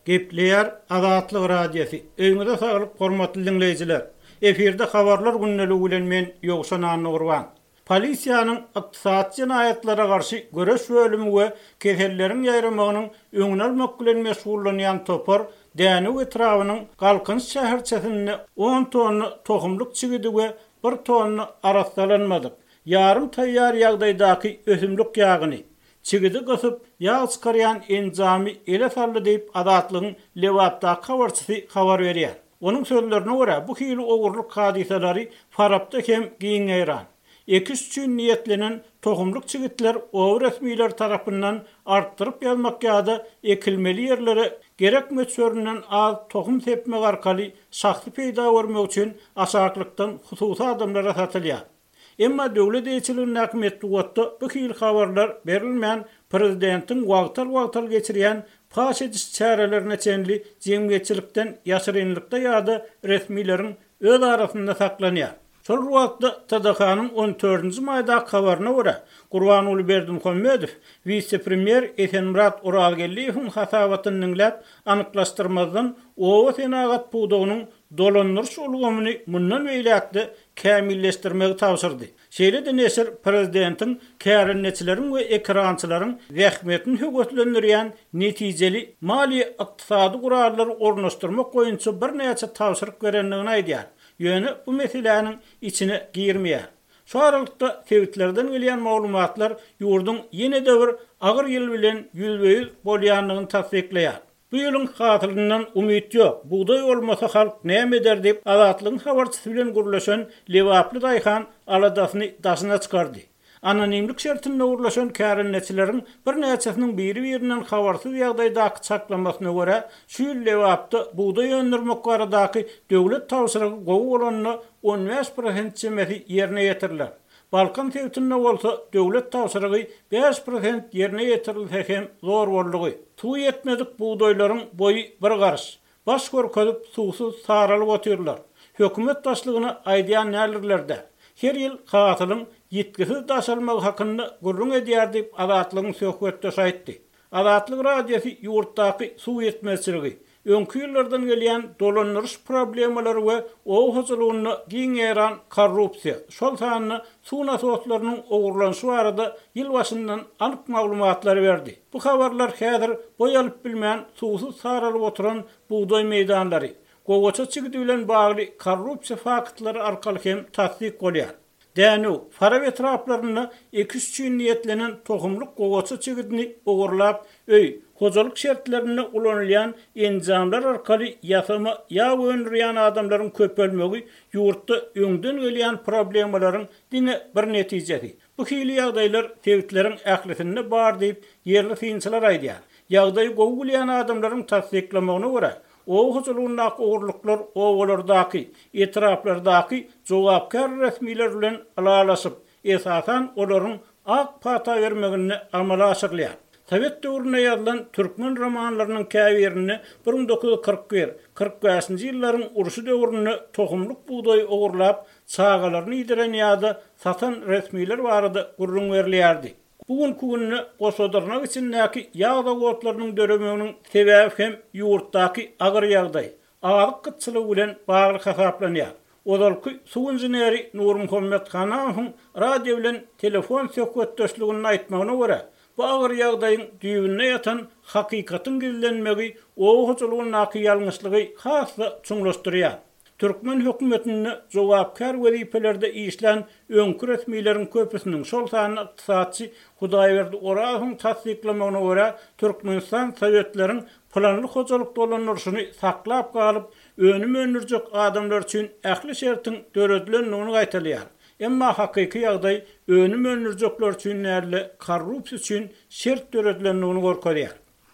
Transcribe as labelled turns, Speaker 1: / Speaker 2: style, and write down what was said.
Speaker 1: Gepleýär Azatlyk Radiosy. Öýüňize saglyk hormatly diňleýjiler. Efirde habarlar gündeligi bilen men Ýowşan Annagurban. Polisiýanyň ykdysady jenaýatlara garşy göreş bölümi we keselleriň ýaýramagynyň öňüni almak bilen meşgullanýan topar Dänew etrabynyň Galkynyş şäherçesinde on tonna tohumlyk çigidi we bir tonna arassalanmadyk, ýarym taýýar ýagdaýdaky ösümlik ýagyny, çigidi gysyp, ýag çykarýan enjamy ele saldy diýip, Azatlygyň Lebapdaky habarçysy habar berýär. Onuň sözlerine görä, bu hili ogurlyk hadysalary Farapda hem giň ýaýran. Ekiş üçin niýetlenen tohumlyk çigitler oba resmileri tarapyndan artdyryp ýazmak ýa-da ekilmeli ýerlere gerek möçberinden az tohum sepmek arkaly şahsy peýda görmek üçin aşaklykdan hususy adamlara satylýar. Emma döwlet eýeçiligindäki metbugatda bu hili habarlar berilmän, prezidentiň wagtal-wagtal geçirýän paş ediş çärelerine çenli jemgyýetçilikden ýaşyrynlykda ýa-da resmileriň öz arasynda saklanýar. Şol bir wagtda, TDH-nyň on dördünji maýdaky habaryna görä, Gurbanguly Berdimuhamedow wise-premýer Esenmyrat Orazgeldiýewiň hasabatyny diňläp, anyklaşdyrmazdan oba senagat pudagynyň dolandyryş ulgamyny mundan beýläk-de kämilleşdirmegi tabşyrdy. Şeýle-de neşir prezidentiň kärendeçileriň we ekerançylaryň zähmetini höweslendirýän netijeli maliýe-ykdysady gurallary ornaşdyrmak boýunça birnäçe tabşyryk berendigini aýdýar, ýöne bu meseläniň içine girmeýär. Şu aralykda sebitlerden gelýän maglumatlar ýurduň ýene-de bir agyr ýyl bilen ýüzbe-ýüz bolýandygyny tassyklaýar. Bu ýylyň hasylyndan umyt ýok, bugdaý bolmasa halk näme eder diýip, Azatlygyň habarçysy bilen gürleşen lebaply daýhan aladasyny daşyna çykardy. Anonimlik şertinde gürleşen kärendeçileriň birnäçesiniň biri-birinden habarsyz ýagdaýdaky çaklamasyna görä, şu ýyl Lebapda bugdaý öndürmek baradaky döwlet tabşyrygy gowy bolanda 15 prosent çemesi ýerine ýetiriler. Balkan sebitinde bolsa döwlet tabşyrygy 5% ýerine ýetirilse hem zor boldugy. Suwy ýetmedik bugdaýlaryň boýy bir garyş. Baş görkezip suwsuz saralyp otyrlar. Hökümet başlygyna aýdýan däldirler-dä. Her ýyl hasylyň ýitgisiz daşalmagy hakynda gürrüň edýär diýip Azatlygyň söhbetdeşi aýtdy. Azatlyk Radiosy ýurtdaky suw ýetmezçiligi, öňki ýyllardan gelýän dolandyryş problemalary we oba hojalygynda giň ýaýran korrupsiýa, şol sanda suw nasoslarynyň ogurlanyşy barada ýyl başyndan anyk maglumatlary berdi. Bu habarlar häzir boý alyp bilmän suwsuz saralyp oturan bugdaý meýdanlary, gowaça çigidi bilen bagly korrupsiýa faktlary arkaly hem tassyk bolýar. Dänew, Farap etraplarynda ekiş üçin niýetlenen tohumlyk gowaça çigidini ogurlap, öý, hojalyk şertlerinde ulanylýan enjamlar arkaly ýasama ýag öndürýän adamlaryň köpelmegi ýurtda öňden gelýän problemalaryň diňe bir netijesi. Bu hili ýagdaýlar sebitleriň ählisinde bar diýip, ýerli synçylar aýdýar. Ýagdaýy gowy bilýän adamlaryň tassyklamagyna görä, Oba hojalygyndaky ogurlyklar obalardaky, etraplardaky jogapkär resmiler bilen ylalaşyp, esasan olaryň ak pata bermeginde amala aşyrylýar. Sowet döwründe ýazylan türkmen romanlarynyň käbirinde 1941, 45-nji ýyllaryň urşy döwründe tohumlyk bugdaýy ogurlap, çagalaryny iýdiren ýa-da satan resmiler barada gürrüň berilýärdi. Bu günki günde goşadyrnak içindäki ýag zawodlarynyň döremeginiň sebäbi hem ýurtdaky agyr ýagdaý, azyk gytçylygy bilen bagly hasaplanýar. Ozalky suw inženeri Nurmuhammet Hanamowyň radio bilen telefon söhbetdeşliginde aýtmagyna görä, bu agyr ýagdaýyň düýbünde ýatan hakykatyň gizlenmegi oba hojalygyndaky ýalňyşlygy has-da çuňlaşdyrýar. Türkmen hökümetinde jogapkär wezipelerde işlän öňki resmileriň köpüsiniň, şol sanda ykdysatçy Hudaýberdi Orazowyň tassyklamagyna görä, Türkmenistan sowetleriň planly hojalyk dolandyryşyny saklap galyp, önüm öndürjek adamlar üçin ähli şertiň döredilendigini gaýtalaýar. Emma hakyky ýagdaý önüm öndürjekler üçin däl-de, korrupsiýa üçin şert döredilendigini görkezýär.